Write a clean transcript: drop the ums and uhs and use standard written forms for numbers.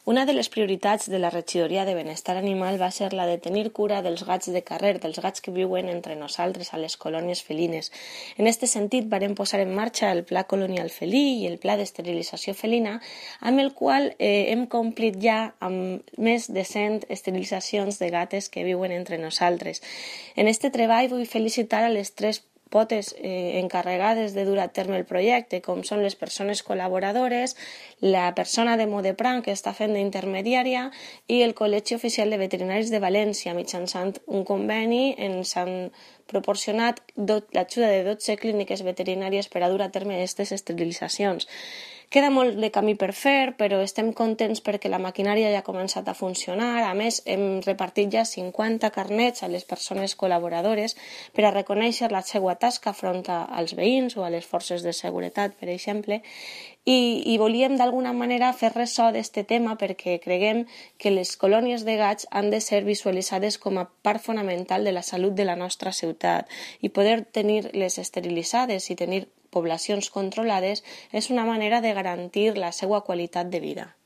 Una de les prioritats de la Regidoria de Benestar Animal va ser la de tenir cura dels gats de carrer, dels gats que viuen entre nosaltres a les colònies felines. En aquest sentit, vàrem posar en marxa el Pla Colonial Felí i el Pla d'Esterilització Felina, amb el qual hem complit ja amb més de 100 esterilitzacions de gates que viuen entre nosaltres. En aquest treball vull felicitar a les tres potes encarregades de dur a terme el projecte, com són les persones col·laboradores, la persona de Modepran que està fent d'intermediària i el Col·legi Oficial de Veterinaris de València. Mitjançant un conveni ens han proporcionat l'ajuda de 12 clíniques veterinàries per a dur a terme aquestes esterilitzacions. Queda molt de camí per fer, però estem contents perquè la maquinària ja ha començat a funcionar. A més, hem repartit ja 50 carnets a les persones col·laboradores per a reconèixer la seva tasca front als veïns o a les forces de seguretat, per exemple, i volíem d'alguna manera fer ressò d'aquest tema perquè creguem que les colònies de gats han de ser visualitzades com a part fonamental de la salut de la nostra ciutat i poder tenir-les esterilitzades i tenir poblacions controlades és una manera de garantir la seva qualitat de vida.